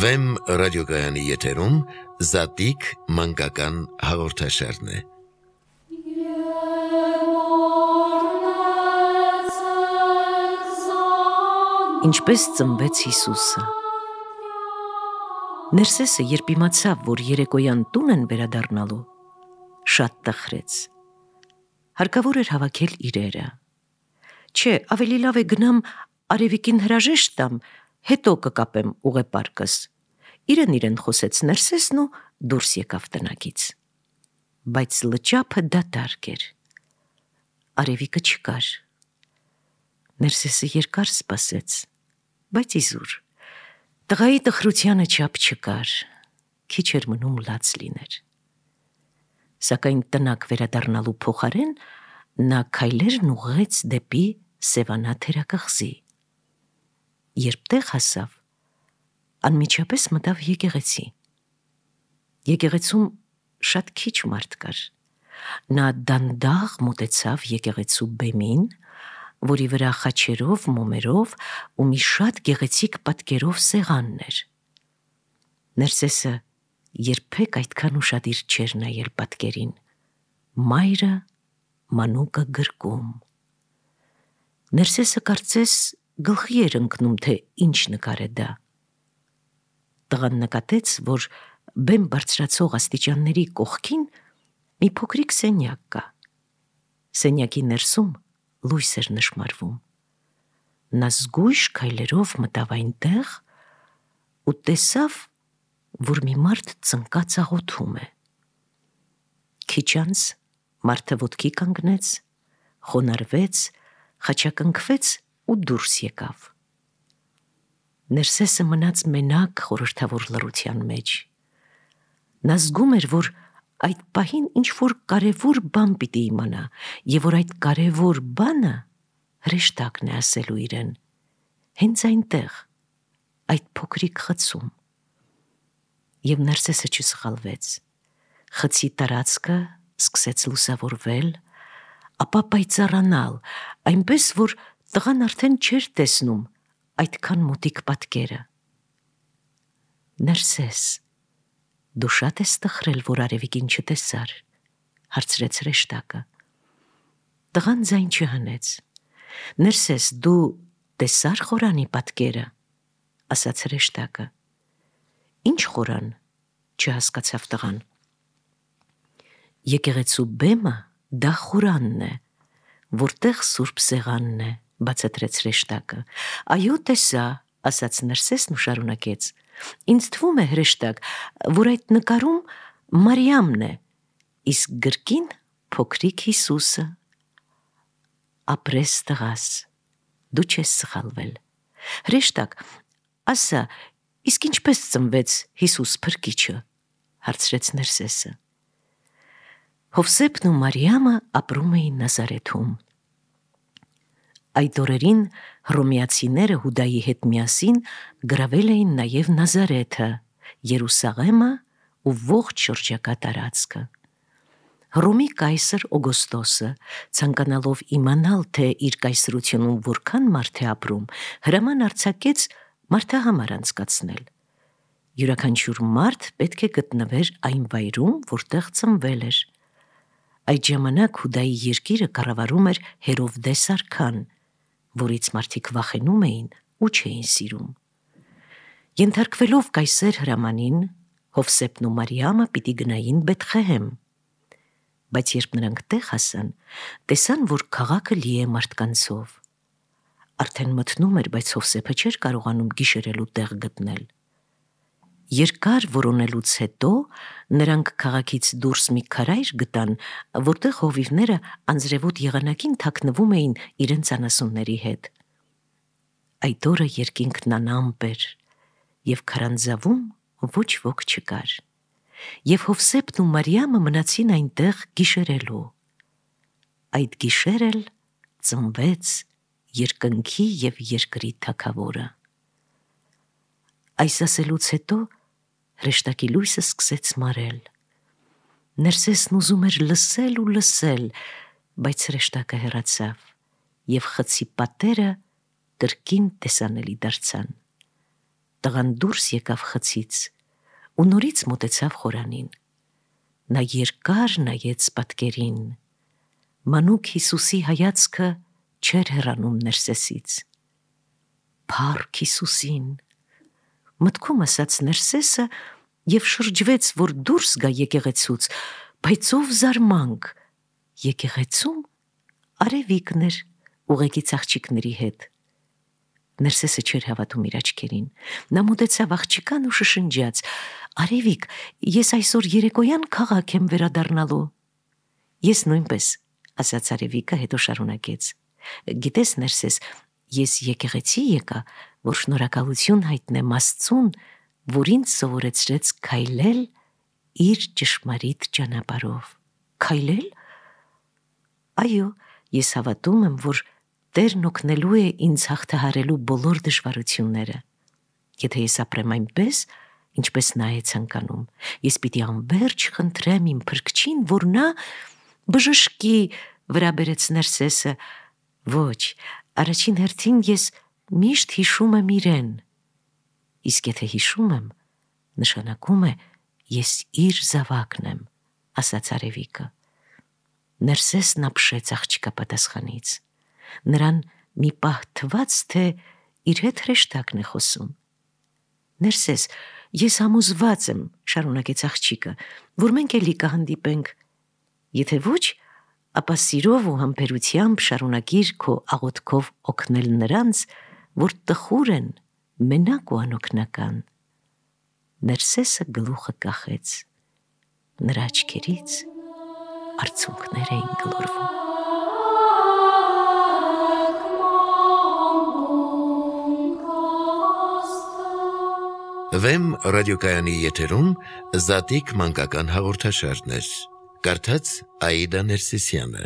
Վեմ ռադիոգայանի եթերում Զատիկ մանկական հաղորդաշարն է։ Ինչպես ծնվեց Հիսուսը։ Ներսեսը, երբ իմացավ, որ երեկոյան տուն են վերադառնալու, շատ տխրեց։ Հարկավոր էր հավաքել իրերը։ Չէ, ավելի լավ է գնամ Արևիկին հրաժեշտ տամ, հետո կկապեմ ուղեպարկս։ Իրեն խոսեց Ներսեսն ու դուրս եկավ տնագից։ Բայց լճափը դատարկ էր։ Արևիկը չկար։ Ներսեսը երկար սպասեց, բայց իզուր։ Տղայի տխրությանը չափ չկար, քիչ էր մնում լաց լիներ։ Սակայն տնակ վերադառնալու փոխարեն նա քայլերն ուղղեց դեպի Սևանա թերակղզի։ Երբ տեղ հասավ, անմիջապես մտավ եկեղեցի։ Եկեղեցում շատ քիչ մարդ կար։ Նա դանդաղ մոտեցավ եկեղեցու բեմին, որի վրա խաչերով, մոմերով ու մի շատ գեղեցիկ պատկերով սեղանն էր։ Ներսեսը երբեք այդքան ուշադիր չէր նայել պատկերին։ Մայրը մանուկը գրկում։ Ներսեսը կարծես գլխի էր ընկնում, թե ինչ նկար է դա։ Տղան նկատեց, որ բեմ բարձրացող աստիճանների կողքին մի փոքրիկ սենյակ կա։ Սենյակի ներսում լույս էր նշմարվում։ Նա զգույշ քայլերով մտավ այնտեղ ու տեսավ, որ մի մարդ ծնկած աղոթում է։ Քիչ անց մարդը ոտքի կանգնեց, խոնարհվեց, խաչակնքվեց ու դուրս եկավ։ Ներսեսը մնաց մենակ խորհրդավոր լռության մեջ։ Նա զգում էր, որ այդ պահին ինչ-որ կարևոր բան պիտի իմանա, և որ այդ կարևոր բանը հրեշտակն է ասելու իրեն, հենց այնտեղ, այդ փոքրիկ խցում։ Եվ Ներսեսը չսխալվեց։ Խցի տարածքը սկսեց լուսավորվել, ապա պայծառանալ, այնպես, որ տղան արդեն չէր տեսնում այդքան մոտիկ պատկերը։ Ներսես, դու շատ ես տխրել, որ Արևիկին չտեսար, հարցրեց հրեշտակը։ Տղան ձայն չհանեց։ Ներսես, դու տեսար խորանի պատկերը, ասաց հրեշտակը։ Ինչ խորան, չհասկացավ տղան։ Եկեղեցու բեմը դա խորանն է, որտեղ սուրբ սեղանն է, բացատրեց հրեշտակը։ Այո, տեսա, ասաց Ներսեսն ու շարունակեց։ Ինձ թվում է, հրեշտակ, որ այդ նկարում Մարիամն է, իսկ գրկին փոքրիկ Հիսուսը։ Ապրես տղաս, դու չես սխալվել։ Հրեշտակ, ասա, իսկ ինչպես ծնվեց Հիսուս փրկիչը, հարցրեց Ներսեսը։ Հովսեփն ու Մարիամը ապրում էին Նազարեթում։ Այդ օրերին հռոմեացիները Հուդայի հետ միասին գրավել էին նաև Նազարեթը, Երուսաղեմը ու ողջ շրջակա տարածքը։ Հռոմի կայսր Օգոստոսը, ցանկանալով իմանալ, թե իր կայսրությունում որքան մարդ է ապրում, հրաման արձակեց մարդահամար անցկացնել։ Յուրաքանչյուր մարդ պետք է գտնվեր այն վայրում, որտեղ ծնվել էր։ Այդ ժամանակ Հուդայի երկիրը կառավարում էր Հերովդես արքան, որից մարդիկ վախենում էին ու չէին սիրում։ Ենթարկվելով կայսեր հրամանին, Հովսեփն ու Մարիամը պիտի գնային Բեթղեհեմ։ Բայց երբ նրանք տեղ հասան, տեսան, որ քաղաքը լի է մարդկանցով։ Արդեն մթնում էր, բայց Հովսեփը չէր կարողանում գիշերելու տեղ գտնել։ Երկար որոնելուց հետո նրանք քաղաքից դուրս մի քարայր գտան, որտեղ հովիվները անձրևոտ եղանակին թաքնվում էին իրենց անասունների հետ։ Այդ օրը երկինքն անամպ էր, և քարանձավում ոչ ոք չկար։ Եվ Հովսեփն ու Մարիամը մնացին այնտեղ գիշերելու։ Այդ գիշեր էլ ծնվեց երկնքի և երկրի թագավորը։ Այս ասելուց հետո հրեշտակի լույսը սկսեց մարել։ Ներսեսն ուզում էր լսել ու լսել, բայց հրեշտակը հեռացավ, և խցի պատերը կրկին տեսանելի դարձան։ տղան դուրս եկավ խցից ու նորից մոտեցավ խորանին։ Նա երկար նայեց պատկերին։ Մանուկ Հիսուսի հայացքը չէր հեռանում Ներսեսից։ Փառք Հիսուսին, մտքում ասաց Ներսեսը և շրջվեց, որ դուրս գա եկեղեցուց, բայց ով զարմանք, եկեղեցում Արևիկն էր ուղեկից աղջիկների հետ։ Ներսեսը չէր հավատում իր աչքերին։ Նա մոտեցավ աղջկան ու շշնջաց. «Արևիկ, ես այսօր երեկոյան քաղաք եմ վերադառնալու»։ «Ես նույնպես», ասաց Արևիկը, հետո շարունակեց. «Գիտես, Ներսես, ես եկեղեցի եկա, որ շնորհակալություն հայտնեմ Աստծուն, որ ինձ սովորեցրեց քայլել իր ճշմարիտ ճանապարհով»։ Քայլել։ Այո, ես հավատում եմ, որ Տերն օգնելու է ինձ հաղթահարելու բոլոր դժվարությունները։ Եթե ես ապրեմ այնպես, ինչպես նա է ցանկանում, ես պիտի անվերջ խնդրեմ իմ Փրկչին, որ նա բժշկի, վրա բերեց Ներսեսը։ Ոչ, առաջին հերթին ես միշտ հիշում եմ իրեն։ Իսկ եթե հիշում եմ, նշանակում է ես իր զավակն եմ, ասաց Արևիկը։ Ներսեսն ապշեց աղջկա պատասխանից։ Նրան մի պահ թվաց, թե իր հետ հրեշտակն է խոսում։ Ներսես, ես համոզված եմ, շարունակեց աղջիկը, որ մենք էլի կհանդիպենք։ Եթե ոչ, ապա սիրով ու համբերությամբ շարունակիր քո աղոթքով օգնել նրանց, որ տխուր են, մենակ ու անօգնական։ Ներսեսը գլուխը կախեց։ Նրա աչքերից արցունքներ էին գլորվում։ Վեմ ռադիոկայանի եթերում Զատիկ մանկական հաղորդաշարներ։ Կարդաց Աիդա Ներսիսյանը։